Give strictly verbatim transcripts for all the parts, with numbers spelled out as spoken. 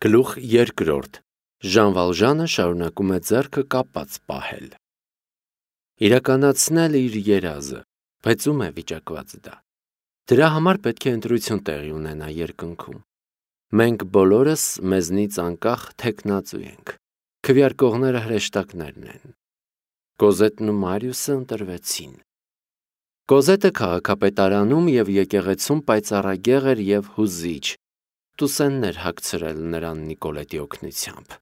Գլուխ երկրորդ. Ժան Վալժանը շարունակում է ձեռքը կապած պահել։ Իրականացնել իր երազը, բայց ում է վիճակված դա։ Դրա համար պետք է ընտրություն տեղի ունենա երկնքում։ Մենք բոլորս մեզնից անկախ թեկնածու ենք։ Քվեարկողները հրեշտակներն են։ Կոզետն ու Մարիուսը ընտրվեցին։ Կոզետը քաղաքապետարանում և եկեղեցում պայծառագեղ էր և հուզիչ, տուսեններ հագցրել նրան Նիկոլետի օգնությամբ։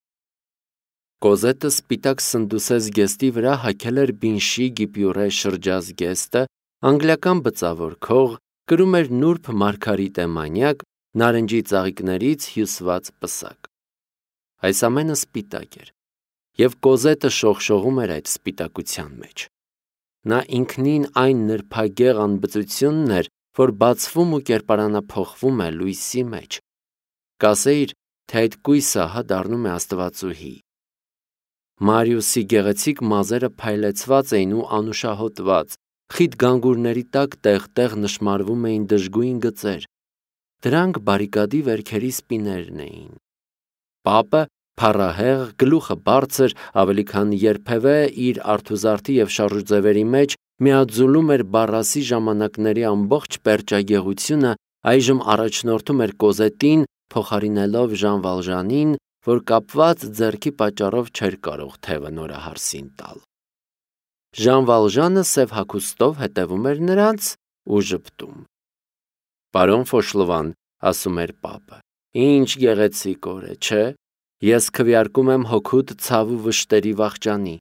Կոզետը սպիտակ սնդուսե զգեստի վրա հագել էր բինշի գիպյուրե շրջազգեստը, անգլիական բծավոր քող, կրում էր նուրբ մարգարիտե մանյակ, նարնջի ծաղիկներից հյուսված պսակ։ Այս ամենը սպիտակ էր, և Կոզետը շողշողում էր այդ սպիտակության մեջ։ Նա ինքնին այն նրբագեղ անբծությունն էր, որ բացվում ու կերպարանափոխվում է լույսի մեջ։ Կասեիր, թե այդ կույսը ահա դառնում է աստվածուհի։ Մարիուսի գեղեցիկ մազերը փայլեցված էին ու անուշահոտված, խիտ գանգուրների տակ տեղ-տեղ նշմարվում էին դժգույն գծեր։ Դրանք բարիկադի վերքերի սպիներն էին։ Պապը, փառահեղ, գլուխը բարձր, ավելի քան երբևէ իր արթուզարդի և շարժուձևերի մեջ միաձուլում էր Բարասի ժամանակների ամբողջ պերճագեղությունը, այժմ առաջնորդում էր Կոզետին, փոխարինելով Ժան Վալժանին, որ կապված ձեռքի պատճառով չէր կարող թևը նորահարսին տալ։ Ժան Վալժանը սև հագուստով հետևում էր նրանց ու ժպտում։ «Պարոն Ֆոշլովան», ասում էր պապը, «ինչ գեղեցիկ օր է, չէ՞։ Ես քվեարկում եմ հոգուդ ցավ ու վշտերի վախճանի։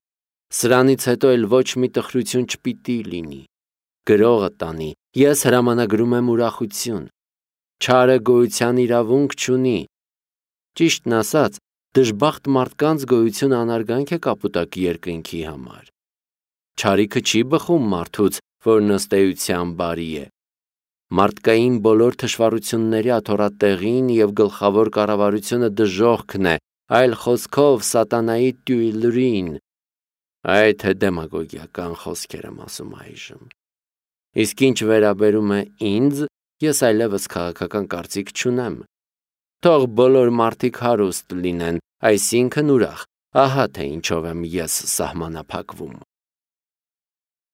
Սրանից հետո էլ ոչ մի տխրություն չպիտի լինի։ Գրողը տանի, ես հրամանագրում եմ ուրախություն։ Չարը գոյության իրավունք չունի։ Ճիշտն ասած, դժբախտ մարդկանց գոյությունը անարգանք է կապուտակ երկնքի համար։ Չարիքը չի բխում մարդուց, որն ըստ էության բարի է։ Մարդկային բոլոր թշվառությունների աթոռատեղին և գլխավոր կառավարությունը դժոխքն է, այլ խոսքով սատանայի տյուիլրին։ Այ թե դեմագոգիական խոսքեր եմ ասում այժմ։ Իսկ ինչ վերաբերում է ինձ, ես այլևս քաղաքական կարծիք չունեմ։ Թող բոլոր մարդիկ հարուստ լինեն, այսինքն ուրախ, ահա թե ինչով եմ ես սահմանափակվում։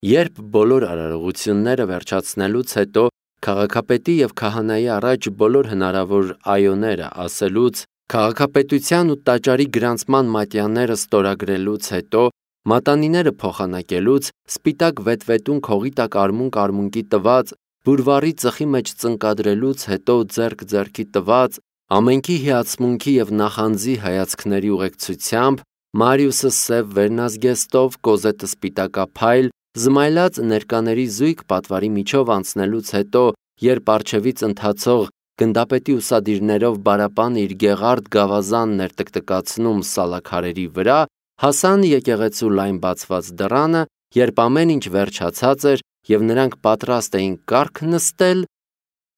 Երբ բոլոր արարողությունները վերջացնելուց հետո քաղաքապետի և քահանայի առաջ բոլոր հնարավոր այոները ասելուց, քաղաքապետության ու տաճարի գրանցման մատյանները ստորագրելուց հետո, մատանիները փոխանակելուց, սպիտակ վետվետուն քողի տակ արմունկ-արմունկի տված, բուրվարի ծխի մեջ ծնկադրելուց հետո ձեռք ձեռքի տված, ամենքի հիացմունքի և նախանձի հայացքների ուղեկցությամբ, Մարիուսը սև վերնազգեստով, Կոզետը սպիտակափայլ, զմայլած ներկաների զույգ պատվարի միջով անցնելուց հետո, երբ առջևից ընթացող գնդապետի ուսադիրներով բարապանը իր գեղարդ գավազանն էր տկտկացնում սալաքարերի վրա, հասան եկեղեցու լայն բացված դռանը, երբ ամեն ինչ վերջացած էր և նրանք պատրաստ էին կառք նստել,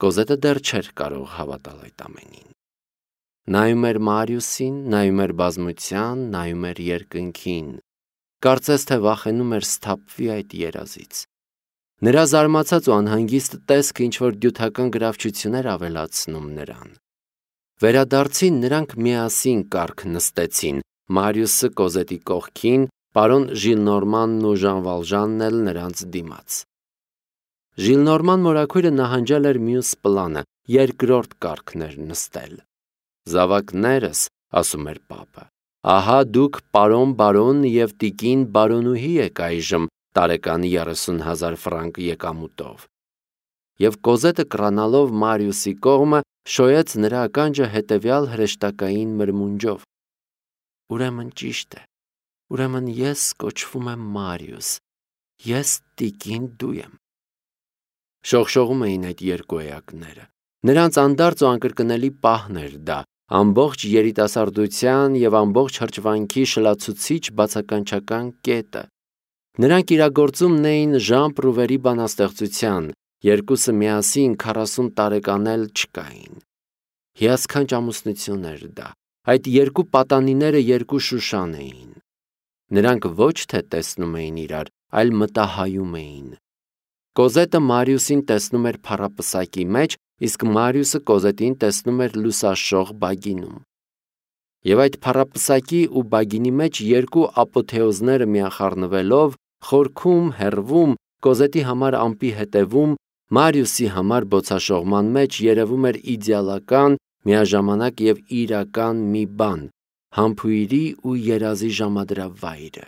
Կոզետը դեռ չէր կարող հավատալ այդ ամենին։ Նայում էր Մարիուսին, նայում էր բազմության, նայում էր երկնքին, կարծես թե վախենում էր սթափվի այդ երազից։ Նրա զարմացած ու անհանգիստ տեսքը ինչ-որ դյութական գրավչություն էր ավելացնում նրան։ Վերադարձին նրանք միասին կառք նստեցին, Մարիուսը Կոզետի կողքին, պարոն Ժիլնորմանն ու Ժան Վալժանն էլ նրանց դիմաց։ Ժիլնորման մորաքույրը նահանջել էր մյուս պլանը, երկրորդ կառքն էր նստել։ «Զավակներս», ասում էր պապը, ահա դուք պարոն բարոն և տիկին բարոնուհի եք այժմ տարեկան երեսուն հազար ֆրանկ եկամուտով։ Եվ Կոզետը կռանալով Մարիուսի կողմը, շոյեց նրա ականջը հետևյալ հրեշտակային մրմունջով. «Ուրեմն ճիշտ է, ուրեմն ես կոչվում եմ Մարիուս, ես տիկին դու եմ»։ Շողշողում էին այդ երկու էակները։ Նրանց անդարձ ու անկրկնելի պահն էր դա, ամբողջ երիտասարդության և ամբողջ հրճվանքի շլացուցիչ բացականչական կետը։ Նրանք իրագործումն էին Ժան Պրուվերի բանաստեղծության, երկուսը միասին քառասուն տարեկան էլ չկային։ Հիասքանչ ամուսնություն էր դա, այդ երկու պատանիները երկու Շուշան էին։ Նրանք ոչ թե տեսնում էին իրար, այլ մտահայում էին։ Կոզետը Մարիուսին տեսնում էր փառապսակի մեջ, իսկ Մարիուսը Կոզետին տեսնում էր լուսաշող բագինում։ Եվ այդ փառապսակի ու բագինի մեջ երկու ապոթեոզները միախառնվելով, խորքում, հեռվում, Կոզետի համար ամպի հետևում, Մարիուսի համար բոցաշողման մեջ երևում էր իդեալական, միաժամանակ և իրական մի բան, համբույրի ու երազի ժամադրավայրը,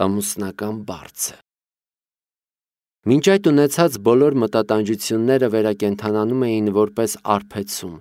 ամուսնական բարձը։ Մինչ այդ ունեցած բոլոր մտատանջությունները վերակենդանանում էին որպես արբեցում։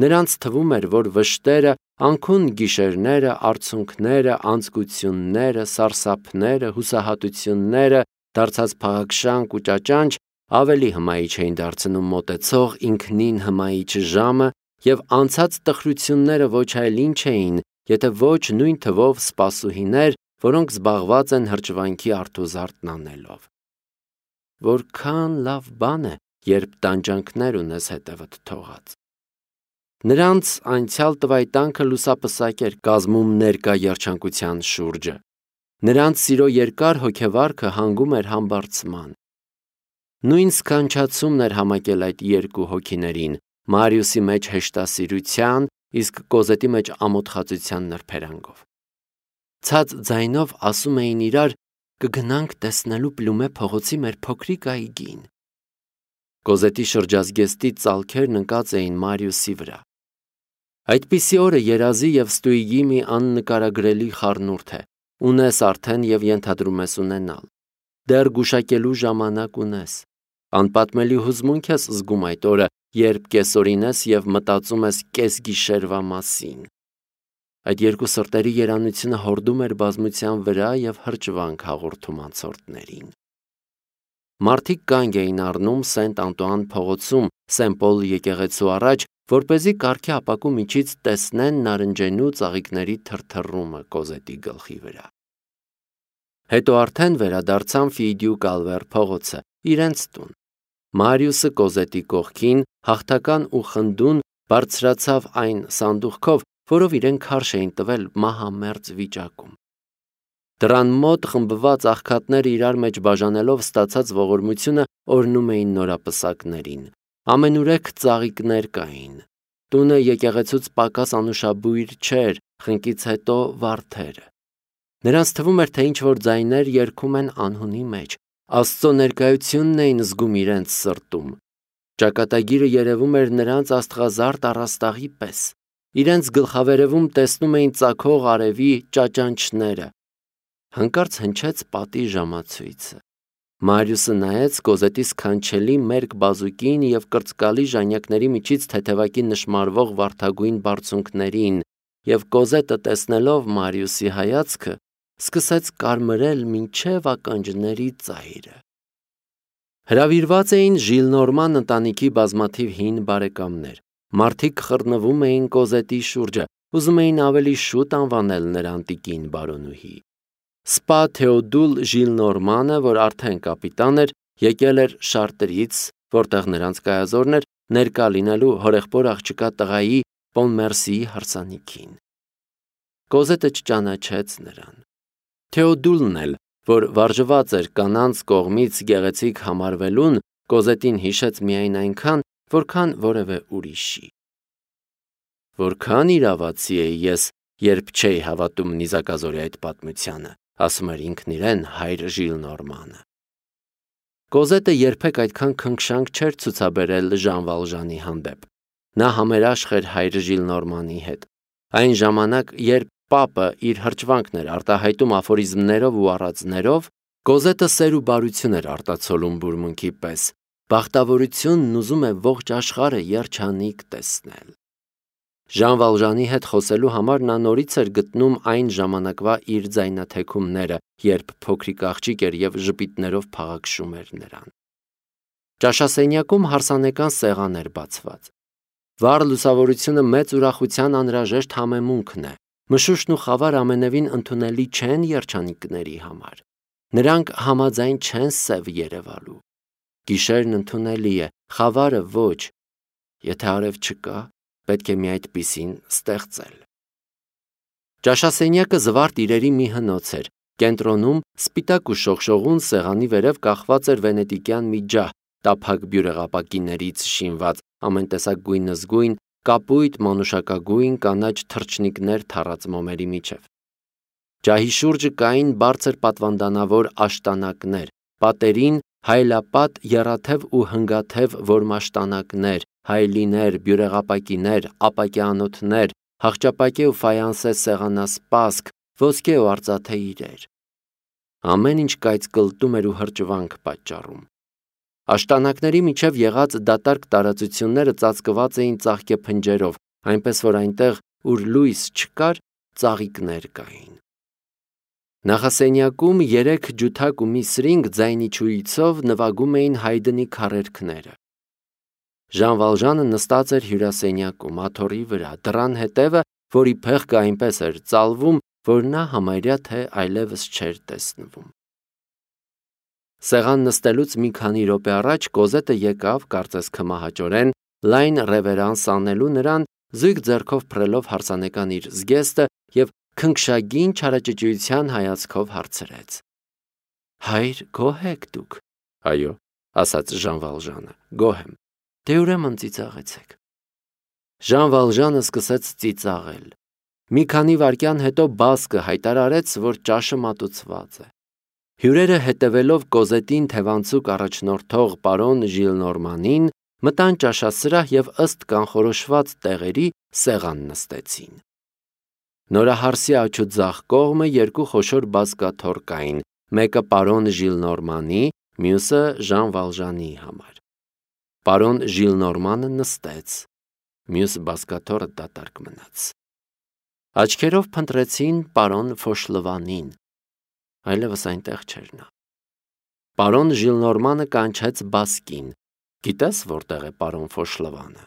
Նրանց թվում էր, որ վշտերը, անքուն գիշերները, արցունքները, անձկությունները, սարսափները, հուսահատությունները, դարձած փաղաքշանք ու ճաճանճ ավելի հմայիչ էին դարձնում մոտեցող ինքնին հմայիչ ժամը և անցած տխրությունները ոչ այլ ինչ էին, եթե ոչ նույն թվով սպասուհիներ, որոնք զբաղված են հրճվանքի արթուզարդն անելով։ Որքան լավ բան է, երբ տանջանքներ ունես հետևդ թողած։ Նրանց անցյալ տվայտանքը լուսապսակ էր կազմում ներկա երջանկության շուրջը։ Նրանց սիրո երկար հոգեվարքը հանգում էր համբարձման։ Նույն սքանչացումն էր համակել այդ երկու հոգիներին, Մարիուսի մեջ հեշտասիրության, իսկ Կոզետի մեջ ամոթխածության նրբերանգով։ Ցած ձայնով ասում էին իրար. «Կգնանք տեսնելու Պլումե փողոցի մեր փոքրիկ այգին»։ Կոզետի շրջազգեստի ծալքերն ընկած էին Մարիուսի վրա։ Այդպիսի օրը երազի և ստույգի մի աննկարագրելի խառնուրդ է, ունես արդեն և ենթադրում ես ունենալ։ Դեռ գուշակելու ժամանակ ունես։ Անպատմելի հուզմունք ես զգում այդ օրը, երբ կեսօրին ես և մտածում ես կեսգիշերվա մասին։ Այդ երկու սրտերի երանությունը հորդում էր բազմության վրա և հրճվանք հաղորդում անցորդներին։ Մարդիկ կանգ էին առնում Սենտ Անտուան փողոցում Սեն Պոլ եկեղեցու առաջ, որպեսզի կառքի ապակու միջից տեսնեն նարնջենու ծաղիկների թրթռումը Կոզետի գլխի վրա։ Հետո արդեն վերադարձան Ֆիդյու Կալվեր փողոցը, իրենց տուն։ Մարիուսը Կոզետի կողքին, հաղթական ու խնդուն, բարձրացավ այն սանդուղքով, որով իրեն քարշ էին տվել մահամերձ վիճակում։ Դռան մոտ խմբված աղքատները իրար մեջ բաժանելով ստացած ողորմությունը օրհնում էին նորապսակներին։ Ամենուրեք ծաղիկներ կային։ Տունը եկեղեցուց պակաս անուշաբույր չէր, խնկից հետո վարդերը։ Նրանց թվում էր, թե ինչ-որ ձայներ երգում են անհունի մեջ, Աստծո ներկայությունն էին զգում իրենց սրտում։ Ճակատագիրը երևում էր նրանց աստղազարդ առաստաղի պես։ Իրենց գլխավերևում տեսնում էին ծագող արևի ճաճանճները։ Հանկարծ հնչեց պատի ժամացույցը։ Մարիուսը նայեց Կոզետի սքանչելի մերկ բազուկին և կրծկալի ժանյակների միջից թեթևակի նշմարվող վարդագույն բարձունքներին, և Կոզետը տեսնելով Մարիուսի հայացքը, սկսեց կարմրել մինչև ականջների ծայրը։ Հրավիրված էին Ժիլնորման ընտանիքի բազմաթիվ հին բարեկամներ։ Մարդիկ խռնվում էին Կոզետի շուրջը, ուզում էին ավելի շուտ անվանել նրան տիկին բարոնուհի։ Սպա Թեոդուլ Ժիլնորմանը, որ արդեն կապիտան էր, եկել էր Շարտրից, որտեղ նրանց կայազորն էր, ներկա լինելու հորեղբոր աղջկա տղայի Պոնմերսիի հարսանիքին։ Կոզետը չճանաչեց նրան։ Թեոդուլն էլ, որ վարժված էր կանանց կողմից գեղեցիկ համարվելուն, Կոզետին հիշեց միայն այնքան, որքան որևէ ուրիշի։ Որքան իրավացի էի ես, երբ չէի հավատում նիզակազորի այդ պատմությանը, ասում էր ինքն իրեն հայր Ժիլնորմանը։ Կոզետը երբեք այդքան քնքշանք չէր ցուցաբերել Ժան Վալժանի հանդեպ։ Նա համերաշխ էր հայր Ժիլնորմանի հետ։ Այն ժամանակ, երբ Պապը իր հրճվանքն էր արտահայտում աֆորիզմներով ու առածներով, Կոզետը սեր ու բարություն էր արտացոլում բուրմունքի պես։ Բախտավորությունն ուզում է ողջ աշխարհը երջանիկ տեսնել։ Ժան Վալժանի հետ խոսելու համար նա նորից էր գտնում այն ժամանակվա իր ձայնաթեքումները, երբ փոքրիկ աղջիկ էր և ժպիտներով փաղաքշում էր նրան։ Ճաշասենյակում հարսանեկան սեղան էր բացված։ Վառ լուսավորությունը մեծ ուրախության անհրաժեշտ համեմունքն է։ Մշուշն ու խավար ամենևին ընդունելի չեն երջանիկների համար։ Նրանք համաձայն չեն սև երևալու։ Գիշերն ընդունելի է, խավարը ոչ։ Եթե արև չկա, պետք է մի այդպիսին ստեղծել։ Ճաշասենյակը զվարթ իրերի մի հնոց էր։ Կենտրոնում սպիտակ ու շողշողուն սեղանի վերև կախված էր վենետիկյան մի ջահ, տափակ բյուրեղապակիներից շինված, ամեն տեսակ գույնզգույն, կապույտ մանուշակագույն կանաչ թռչնիկներ թառած մոմերի միջև։ Ջահի շուրջը կային բարձր պատվանդանավոր աշտանակներ, պատերին հայլապատ, եռաթև ու հնգաթև որմաշտանակներ, հայլիներ, բյուրեղապակիներ, ապակյանոթներ, հախճապակե ու ֆայանսե սեղանասպասք, ոսկե ու արծաթե իրեր։ Ամեն ինչ կայծ կլտում էր ու հրճվանք պատճառում։ Աշտանակների միջև եղած դատարկ տարածությունները ծածկված էին ծաղկե փնջերով, այնպես որ այնտեղ, ուր լույս չկար, ծաղիկներ կային։ Նախասենյակում երեք ջութակ ու մի սրինգ ձայնի չույցով նվագում էին հայդնի քառերքները։ Ժան Վալժանը նստած էր հյուրասենյակում, աթոռի վրա, դռան հետևը, որի փեղկը այնպես էր ծալվում, որ նա համարյա թե այլևս չէր տեսնվում։ Սեղան նստելուց մի քանի րոպե առաջ Կոզետը եկավ, կարծես քմահաճորեն, լայն ռևերանս անելու նրան, զույգ ձեռքով փռելով հարսանեկան իր զգեստը և քնքշագին չարաճճիության հայացքով հարցրեց. Հայր, գոհ եք դուք։ Այո, ասաց Ժան Վալժանը, գոհ եմ։ Դե ուրեմն ծիծաղեցեք։ Ժան Վալժանը սկսեց ծիծաղել։ Մի քանի վայրկյան հետո բասկը հայտարարեց, որ ճաշը մատուցված է։ Հյուրերը հետևելով Կոզետին թևանցուկ առաջնորդող պարոն Ժիլնորմանին մտան ճաշասրահ և ըստ կանխորոշված տեղերի սեղան նստեցին։ Նորահարսի աջ ու ձախ կողմը երկու խոշոր բազկաթոռ կային, մեկը պարոն Ժիլնորմանի, մյուսը Ժան Վալժանի համար։ Պարոն Ժիլնորմանը նստեց, մյուս բազկաթոռը դատարկ մնաց։ Աչքերով փնտրեցին պարոն Ֆոշլվանին, այլևս այնտեղ չէր նա։ Պարոն Ժիլնորմանը կանչեց բասկին. Գիտես որտեղ է պարոն Ֆոշլվանը։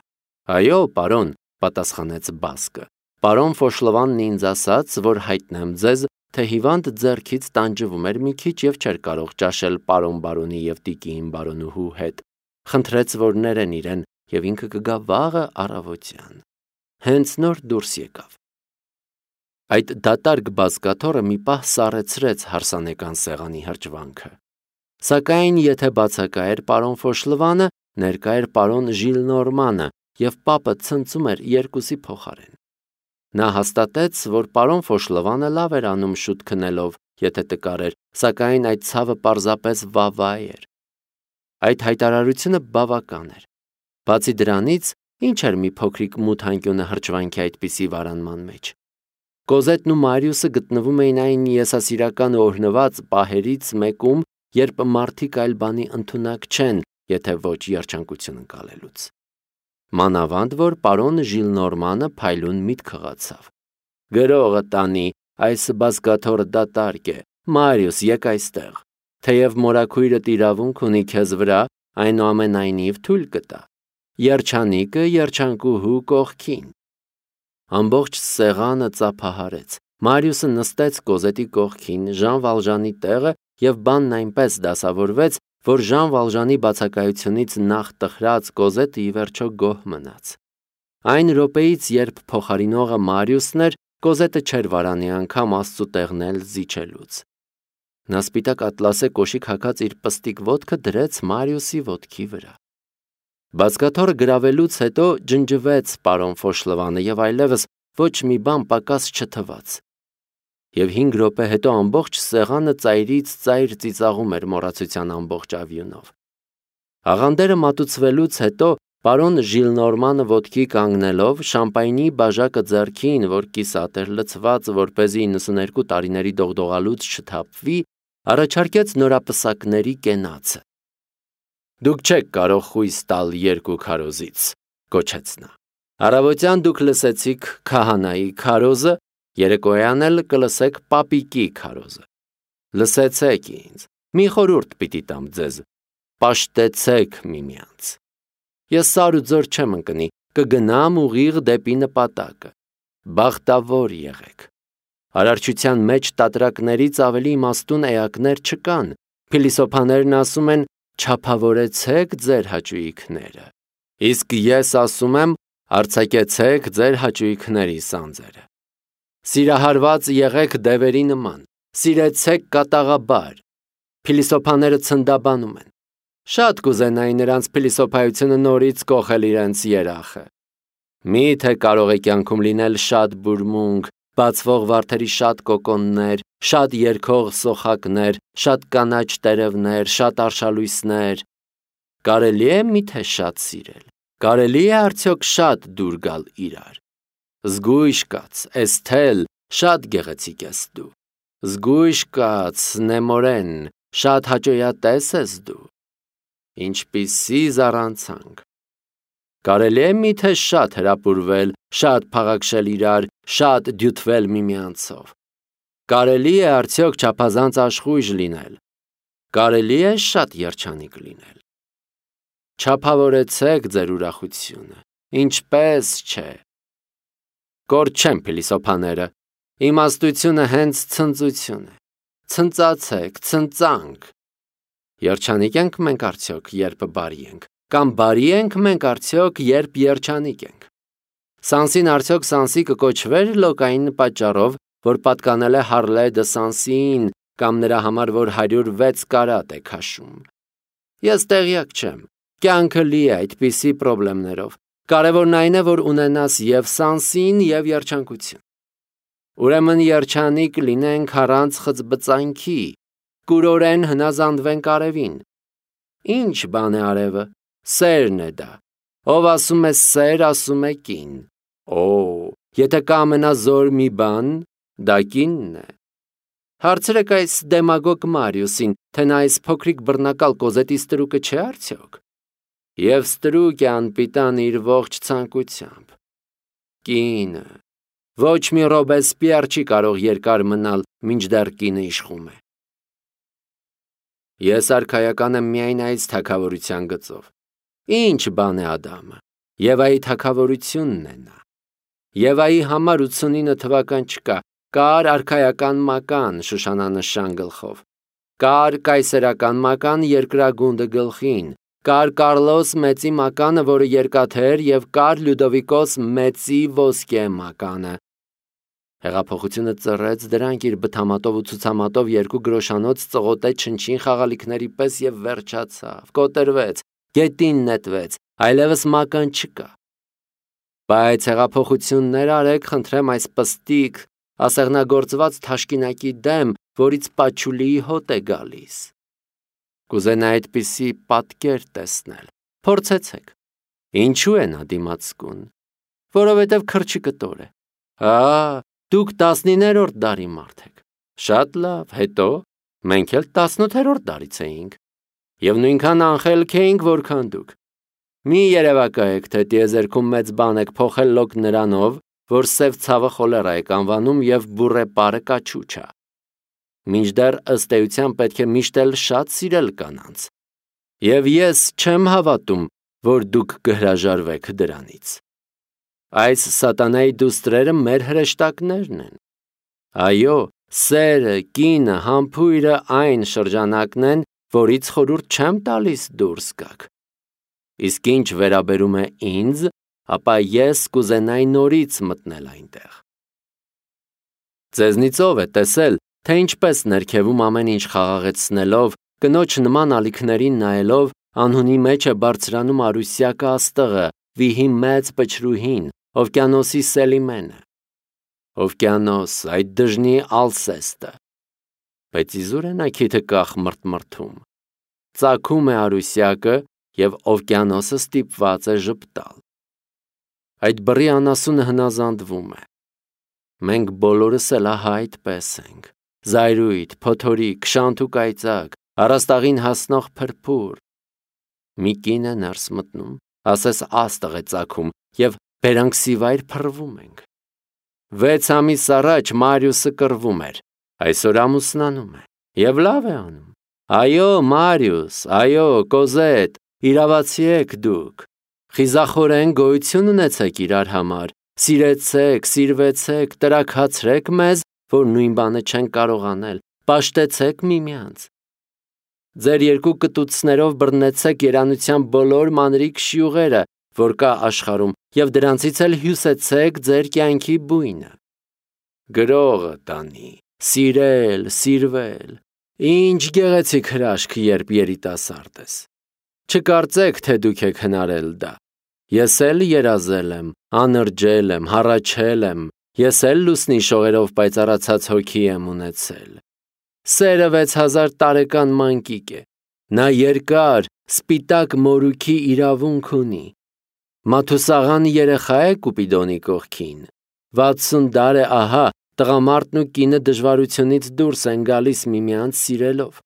Այո, պարոն, պատասխանեց բասկը։ Պարոն Ֆոշլվանն ինձ ասաց, որ հայտնեմ ձեզ, թե հիվանդ ձեռքից տանջվում էր մի քիչ և չէր կարող ճաշել պարոն բարոնի և տիկին բարոնուհու հետ։ Խնդրեց, որ ներեն իրեն և ինքը կգա վաղը առավոտյան։ Հենց նոր դուրս եկավ։ Այդ դատարկ բազկաթոռը մի պահ սառեցրեց հարսանեկան սեղանի հրճվանքը։ Սակայն եթե բացակա էր պարոն Ֆոշլվանը, ներկա էր պարոն Ժիլնորմանը և պապը ցնծում էր երկուսի փոխարեն։ Նա հաստատեց, որ պարոն Ֆոշլվանը լավ էր անում շուտ քնելով, եթե տկար էր, սակայն այդ ցավը պարզապես վավա էր։ Այդ հայտարարությունը բավական էր։ Բացի դրանից, ինչ էր մի փոքրիկ մութ անկյունը հրճվանքի այդպիսի վարանման մեջ։ Կոզետն ու Մարիուսը գտնվում էին այն եսասիրական ու օրհնված պահերից մեկում, երբ մարդիկ այլ բանի ընդունակ չեն, եթե ոչ երջանկություն ընկալելուց։ Մանավանդ որ պարոն Ժիլնորմանը փայլուն միտք խղացավ։ Գրողը տանի, այս բազկաթոռը դատարկ է, Մարիուս, եկ այստեղ։ Թեև մորաքույրդ իրավունք ունի քեզ վրա, այնուամենայնիվ թույլ կտա։ Երջանիկը երջանկուհու կողքին։ Ամբողջ սեղանը ծափահարեց։ Մարիուսը նստեց Կոզետի կողքին, Ժան Վալժանի տեղը և բանն այնպես դասավորվեց, որ Ժան Վալժանի բացակայությունից նախ տխրած Կոզետը ի վերջո գոհ մնաց։ Այն րոպեից, երբ փոխարինողը Մարիուսն էր, Կոզետը չէր վարանի անգամ Աստծու տեղն էլ զիջելուց։ Նա սպիտակ ատլասե կոշիկ հագած իր պստիկ ոտքը դրեց Մարիուսի ոտքի վրա։ Բազկաթոռը գրավելուց հետո ջնջվեց պարոն Ֆոշլվանը և այլևս ոչ մի բան պակաս չթվաց։ Եվ հինգ րոպե հետո ամբողջ սեղանը ծայրից ծայր ծիծաղում էր մոռացության ամբողջ ավյունով։ Աղանդերը մատուցվելուց հետո պարոն Ժիլնորմանը ոտքի կանգնելով, շամպայնի բաժակը ձեռքին, որ կիսատ էր լցված, որպեսզի իննսուներկու տարիների դողդողալուց չթափվի, առաջարկեց նորապսակների կենացը։ Դուք չեք կարող խույս տալ երկու քարոզից, կոչեց նա։ Առավոտյան դուք լսեցիք քահանայի քարոզը, երեկոյան էլ կլսեք պապիկի քարոզը։ Լսեցեք ինձ, մի խորհուրդ պիտի տամ ձեզ, պաշտեցեք միմյանց։ Ես սար ու ձոր չեմ ընկնի, կգնամ ուղիղ դեպի նպատակը։ Բախտավոր եղեք։ Արարչության մեջ տատրակներից ավելի իմաստուն էակներ չկան։ Փիլիսոփաներն ասում են. չափավորեցեք ձեր հաճույքները։ Իսկ ես ասում եմ, արձակեցեք ձեր հաճույքների սանձերը։ Սիրահարված եղեք դևերի նման, սիրեցեք կատաղաբար։ Փիլիսոփաները ցնդաբանում են։ Շատ կուզենայի նրանց փիլիսոփայությունը նորից կոխել իրենց երախը։ Միթե կարող է կյանքում լինել շատ բուրմունք, բացվող վարդերի շատ կոկոններ, շատ երգող սոխակներ, շատ կանաչ տերևներ, շատ արշալույսներ։ Կարելի է միթե շատ սիրել։ Կարելի է արդյոք շատ դուր գալ իրար։ Զգույշ կաց, Էսթել, շատ գեղեցիկ ես դու։ Զգույշ կաց, Նեմորեն, շատ հաճոյատես ես դու։ Ինչպիսի զառանցանք։ Կարելի է միթե շատ հրապուրվել, շատ փաղաքշել իրար, շատ դյութվել միմյանցով։ Կարելի է արդյոք չափազանց աշխույժ լինել։ Կարելի է շատ երջանիկ լինել։ Չափավորեցեք ձեր ուրախությունը, ինչպես չէ։ Կորդ չեն փիլիսոփաները, իմաստությունը հենց ցնծություն է։ Ցնծացեք, ցնծանք։ Երջանիկ ենք մենք արդյոք, երբ բարի ենք, կամ բարի ենք մենք արդյոք, երբ երջանիկ ենք։ Սանսին արդյոք Սանսի կկոչվեր լոկային պատճառով, որ պատկանել է Հարլե դը Սանսին, կամ նրա համար, որ հարյուր վեց կարատ է քաշում։ Ես տեղյակ չեմ, կյանքը լի է այդպիսի պրոբլեմներով։ Կարևորն այն է, որ ունենաս և Սանսին, և երջանկություն։ Ուրեմն երջանիկ լինենք առանց խծբծանքի, կուրորեն հնազանդվենք արևին։ Ինչ բան է արևը, սերն է դա։ Ով ասում է սեր, ասում է կին։ Օ, եթե կա ամենազոր մի բան, դա կինն է։ Հարցրեք այս դեմագոգ Մարիուսին, թե նա այս փոքրիկ բռնակալ կոզետի ստրուկը չէ արդյոք։ Եվ ստրուկ է անպիտան իր ողջ ցանկությամբ։ Կինը։ Ոչ մի Ռոբեսպիեր չի կարող երկար մնալ, մինչդեռ կինը իշխում է։ Ես արքայական եմ միայն այս թագավորության գծով։ Ինչ բան է Ադամը։ Եվայի թագավորությունն է նա։ Եվայի համար ութսունինը թվական չկա, կար արքայական մական Շուշանանշան գլխով, կար կայսերական մական երկրագունդը գլխին, կար Կարլոս մեծի մականը, որը երկաթե էր, և կար Լյուդովիկոս մեծի ոսկե մականը։ Հեղափոխությունը ծռեց դրանք իր բթամատով ու ցուցամատով երկու գրոշանոց ծղոտեց չնչին խաղալիքների պես և վերջացավ, կոտրվեց, գետին նետվեց, այլևս մական չկա։ Բայց հեղափոխություններ արեք, խնդրեմ, այս պստիկ, ասեղնագործված թաշկինակի դեմ, որից պաչուլիի հոտ է գալիս։ Կուզենա այդպիսի պատկեր տեսնել, փորձեցեք։ Ինչու է նա դիմացկուն։ Որովհետև քրջի կտոր է։ Հա, դուք տասնիններորդ դարի մարդ եք։ Շատ լավ, հետո մենք էլ տասնութերորդ դարից էինք։ Եվ նույնքան անխելք էինք, որքան դուք։ Մի երևակայեք, թե տիեզերքում մեծ բան եք փոխել լոկ նրանով, որ սև ցավը խոլերա եք անվանում և բուրե պարը կաչուչա։ Մինչդեռ ըստ էության պետք է միշտ էլ շատ սիրել կանանց։ Եվ ես չեմ հավատում, որ դուք կհրաժարվեք դրանից։ Այս սատանայի դուստրերը մեր հրեշտակներն են։ Այո, սերը, կինը, համբույրը այն շրջանակն են, որից խորհուրդ չեմ տալիս դուրս գաք։ Իսկ ինչ վերաբերում է ինձ, ապա ես կուզենայի նորից մտնել այնտեղ։ Ձեզնից ով է տեսել, թե ինչպես ներքևում ամեն ինչ խաղաղեցնելով, կնոջ նման ալիքներին նայելով, անհունի մեջ է բարձրանում Արուսյակը աստղը, վիհի մեծ պչրուհին, օվկիանոսի Սելիմենը։ Օվկիանոս, այդ դժնի Ալսեստը։ Բայց իզուր է նա քիթը կախ մրթմրթում։ Ծագում է Արուսյակը, և օվկիանոսը ստիպված է ժպտալ։ Այդ բռի անասունը հնազանդվում է։ Մենք բոլորս էլ ահա այդպես ենք։ Զայրույթ, փոթորիկ, շանթ ու կայծակ, առաստաղին հասնող փրփուր։ Մի կին է ներս մտնում, ասես աստղ է ծագում, և բերանքսիվայր փռվում ենք։ Վեց ամիս առաջ Մարիուսը կռվում էր, այսօր ամուսնանում է, և լավ է անում։ Այո, Մարիուս, այո, Կոզետ, իրավացի եք դուք, խիզախորեն գոյություն ունեցեք իրար համար, սիրեցեք, սիրվեցեք, տրաքացրեք մեզ, որ նույն բանը չեն կարող անել, պաշտեցեք միմյանց։ Ձեր երկու կտուցներով բռնեցեք երանության բոլոր մանրիկ շյուղերը, որ կա աշխարհում, և դրանցից էլ հյուսեցեք ձեր կյանքի բույնը։ Գրողը տանի, սիրել, սիրվել, ինչ գեղեցիկ հրաշք, երբ երիտասարդ ես։ Չկարծեք, թե դուք եք հնարել դա։ Ես էլ երազել եմ, Անրջել եմ, հառաչել եմ, ես էլ լուսնի շողերով պայծառացած հոգի եմ ունեցել։ Սերը վեց հազար տարեկան մանկիկ է, նա երկար, սպիտակ մորուքի իրավունք ունի։ Մաթուսաղան երեխա է Կուպիդոնի կողքին, վաթսուն դար է ահա, տղամարդն ու կինը դժվարությունից դուրս են գալիս միմյանց սիրելով։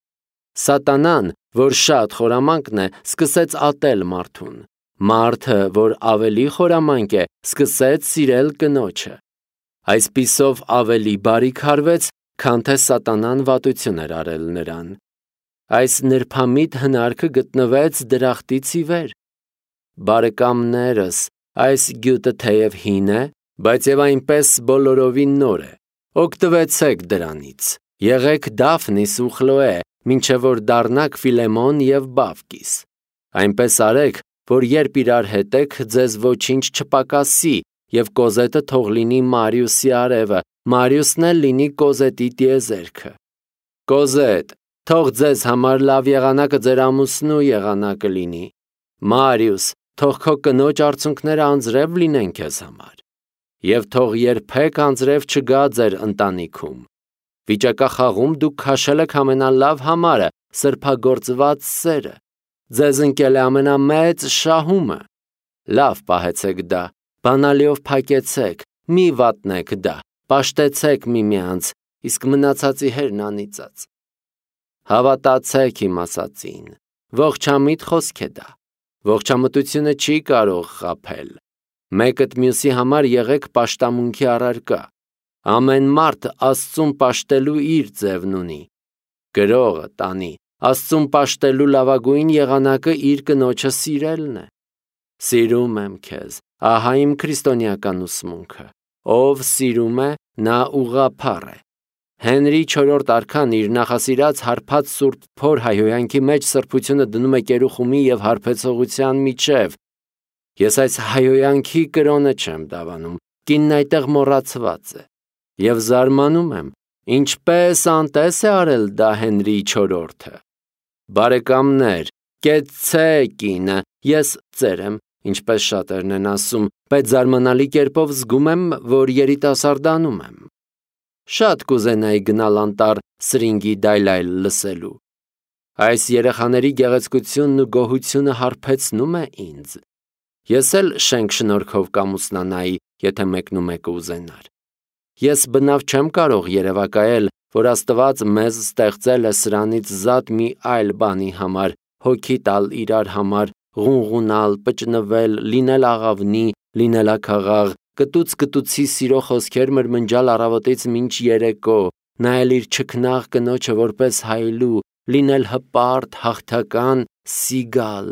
Սատանան, որ շատ խորամանկն է, սկսեց ատել մարդուն։ Մարդը, որ ավելի խորամանկ է, սկսեց սիրել կնոջը։ Այսպիսով ավելի բարիք հարվեց, քան թե սատանան վատություն էր արել նրան։ Այս նրբամիտ հնարքը գտնվեց դրախտից ի վեր։ Բարեկամներս, այս գյուտը թեև հին է, բայց եւ այնպես բոլորովին նոր է։ Օգտվեցեք դրանից։ Եղեք Դաֆնիս ու Խլոե, մինչև որ դառնաք Ֆիլեմոն եւ Բավկիս։ Այնպես արեք, որ երբ իրար հետ եք, ձեզ ոչինչ չպակասի, եւ Կոզետը թող լինի Մարիուսի արևը, Մարիուսն էլ լինի Կոզետի տիեզերքը։ Կոզետ, թող ձեզ համար լավ եղանակը ձեր ամուսնու եղանակը լինի։ Մարիուս, թող քո կնոջ արցունքները անձրև լինեն քեզ համար։ Եվ թող երբեք անձրև չգա ձեր ընտանիքում։ Վիճակախաղում դուք քաշել եք ամենալավ համարը, սրբագործված սերը։ Ձեզ ընկել է ամենամեծ շահումը։ Լավ պահեցեք դա, բանալիով փակեցեք, մի վատնեք դա, պաշտեցեք միմյանց, իսկ մնացածի հերն անիծած։ Հավատացեք իմ ասածին, ողջամիտ խոսք է դա, ողջամտությունը չի կարող խաբել։ Մեկդ մյուսի համար եղեք պաշտամունքի առարկա։ Ամեն մարդ Աստծուն պաշտելու իր ձևն ունի։ Գրողը տանի, Աստծուն պաշտելու լավագույն եղանակը իր կնոջը սիրելն է։ Սիրում եմ քեզ, ահա իմ քրիստոնեական ուսմունքը։ Ով սիրում է, նա ուղղափառ է։ Հենրի չորրորդ արքան իր նախասիրած հարբած սուրբ փոր հայհոյանքի մեջ սրբությունը դնում է կերուխումի եւ հարբեցողության միջև։ Ես այս հայհոյանքի կրոնը չեմ դավանում, կինն այդտեղ մոռացված է։ Եվ զարմանում եմ, ինչպես անտես է արել դա Հենրի չորրորդը։ Բարեկամներ, կեցցե կինը, ես ծեր եմ, ինչպես շատերն են ասում, բայց զարմանալի կերպով զգում եմ, որ երիտասարդանում եմ։ Շատ կուզենայի գնալ անտառ սրինգի դայլայլ լսելու։ Այս երեխաների գեղեցկությունն ու գոհությունը հարբեցնում է ինձ։ Ես էլ շենք շնորհքով կամուսնանայի, եթե մեկնումեկը ուզենար։ Ես բնավ չեմ կարող երևակայել, որ Աստված մեզ ստեղծել է սրանից զատ մի այլ բանի համար, հոգի տալ իրար համար, ղունղունալ, պճնվել, լինել աղավնի, լինել աքաղաղ, կտուց-կտուցի սիրո խոսքեր մրմնջալ առավոտից մինչ երեկո, նայել իր չքնաղ կնոջը որպես հայլու, լինել հպարտ, հաղթական, սիգալ։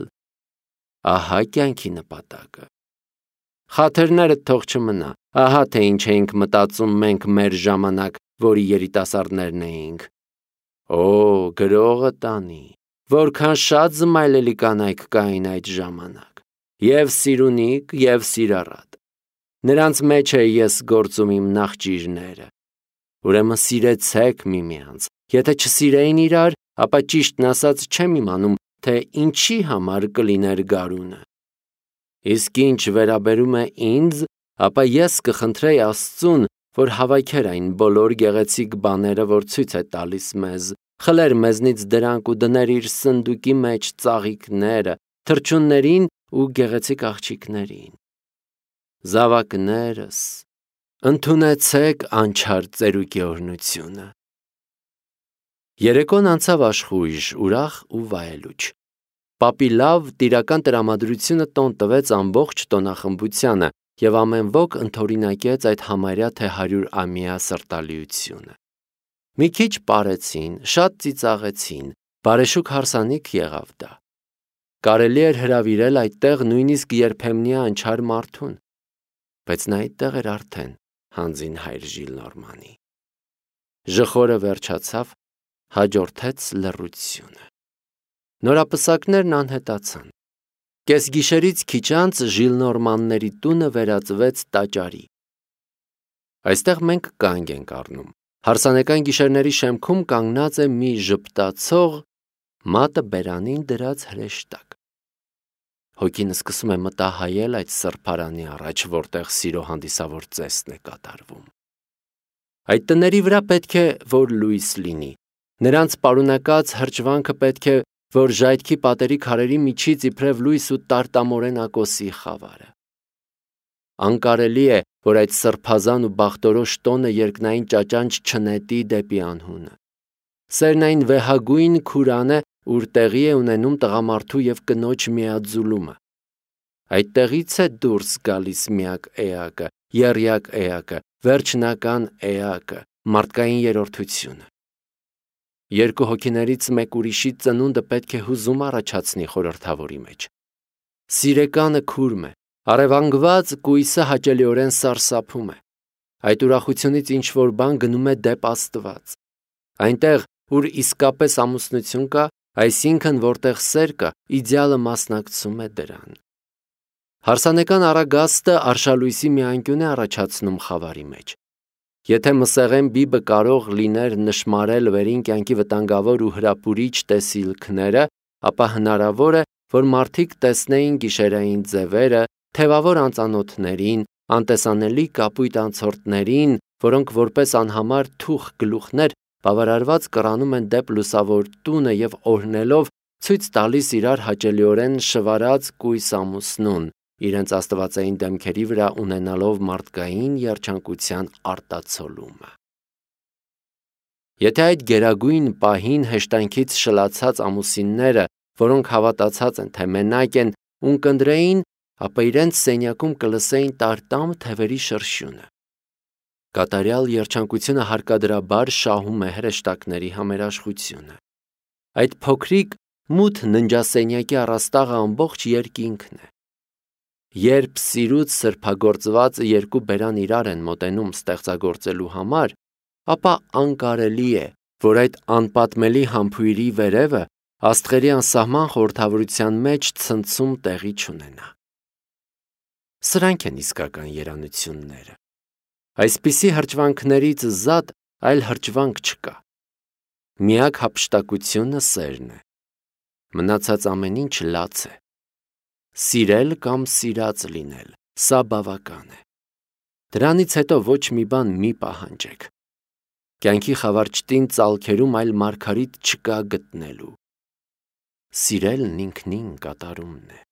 Ահա կյանքի նպատակը։ Խաթերներդ թող չմնա, ահա թե ինչ էինք մտածում մենք մեր ժամանակ, որի երիտասարդներն էինք։ Օ, գրողը տանի, որքան շատ զմայլելի կանայք կային այդ ժամանակ, և սիրունիկ, և սիրառատ։ Նրանց մեջ է ես գործում իմ նախճիրները։ Ուրեմն սիրեցեք միմյանց, եթե չսիրեին իրար, ապա ճիշտն ասած չեմ իմանում, թե ինչի համար կլիներ գարունը։ Իսկ ինչ վերաբերում է ինձ, ապա ես կխնդրեի Աստծուն, որ հավաքեր այն բոլոր գեղեցիկ բաները, որ ցույց է տալիս մեզ, խլեր մեզնից դրանք ու դներ իր սնդուկի մեջ ծաղիկները, թռչուններին ու գեղեցիկ աղջիկներին։ Զավակներս, ընդունեցեք անչափ ծերուկի օրհնությունը։ Երեկոն անցավ աշխույժ, ուրախ ու վայելուչ։ Պապի լավ տիրական տրամադրությունը տոն տվեց ամբողջ տոնախմբությանը և ամեն ոք ընդօրինակեց այդ համարյա թե հարյուր ամյա սրտալիությունը։ Մի քիչ պարեցին, շատ ծիծաղեցին, բարեշուք հարսանիք եղավ դա։ Կարելի էր հրավիրել այդտեղ նույնիսկ երբեմնի անչար մարդուն, բայց նա այդտեղ էր արդեն հանձին հայր Ժիլնորմանի։ Ժխորը վերջացավ, հաջորդեց լռությունը։ Նորապսակներն անհետացան։ Կեսգիշերից քիչ անց Ժիլնորմանների տունը վերածվեց տաճարի։ Այստեղ մենք կանգ ենք առնում։ Հարսանեկան գիշերների շեմքում կանգնած է մի ժպտացող, մատը բերանին դրած հրեշտակ։ հոգին սկսում է մտահայել այդ սրբարանի առաջ, որտեղ սիրո հանդիսավոր ծեսն է կատարվում։ Այդ տների վրա պետք է, որ լույս լինի, նրանց պարունակած հրճվանքը պետք է, որ ժայթքի պատերի քարերի միջից իբրև լույս ու տարտամորեն ակոսի խավարը։ Անկարելի է, որ այդ սրբազան ու բախտորոշ տոնը երկնային ճաճանչ չնետի դեպի անհունը։ Սերն այն վեհագույն քուրանը, ուր տեղի է ունենում տղամարդու և կնոջ միաձուլումը։ Այդտեղից է դուրս գալիս միակ էակը, եռյակ էակը, վերջնական էակը, մարդկային երրորդությունը։ Երկու հոգիներից մեկ ուրիշի ծնունդը պետք է հուզում առաջացնի խորհրդավորի մեջ։ Սիրեկանը քուրմ է, առևանգված կույսը հաճելիորեն սարսափում է։ Այդ ուրախությունից ինչ-որ բան գնում է դեպ Աստված։ Այնտեղ, ուր իսկապես ամուսնություն կա, այսինքն որտեղ սեր կա, իդեալը մասնակցում է դրան։ Հարսանեկան առագաստը արշալույսի մի անկյուն է առաջացնում խավարի մեջ։ Եթե մսեղեն բիբը կարող լիներ նշմարել վերին կյանքի վտանգավոր ու հրապուրիչ տեսիլքները, ապա հնարավոր է, որ մարդիկ տեսնեին գիշերային ձևերը, թևավոր անծանոթներին, անտեսանելի կապույտ անցորդներին, որոնք որպես անհամար թուխ գլուխներ բավարարված կռանում են դեպ լուսավոր տունը և օրհնելով ցույց տալիս իրար հաճելիորեն շվարած կույս ամուսնուն, իրենց աստվածային դեմքերի վրա ունենալով մարդկային երջանկության արտացոլումը։ Եթե այդ գերագույն պահին հեշտանքից շլացած ամուսինները, որոնք հավատացած են, թե մենակ են, ունկնդրեին, ապա իրենց սենյակում կլսեին տարտամ թևերի շրշյունը։ Կատարյալ երջանկությունը հարկադրաբար շահում է հրեշտակների համերաշխությունը։ Այդ փոքրիկ մութ ննջասենյակի առաստաղը ամբողջ երկինքն է։ Երբ սիրուց սրբագործվածը երկու բերան իրար են մոտենում ստեղծագործելու համար, ապա անկարելի է, որ այդ անպատմելի համբույրի վերևը աստղերի անսահման խորհրդավորության մեջ ցնցում տեղի չունենա։ Սրանք են իսկական երանությունները։ Այսպիսի հրճվանքներից զատ այլ հրճվանք չկա։ Միակ հափշտակությունը սերն է։ Մնացած ամեն ինչ լաց է։ Սիրել կամ սիրած լինել, սա բավական է։ Դրանից հետո ոչ մի բան մի պահանջեք։ Կյանքի խավարճտին ծալքերում այլ մարգարիտ չկա գտնելու։ Սիրելն ինքնին կատարումն է։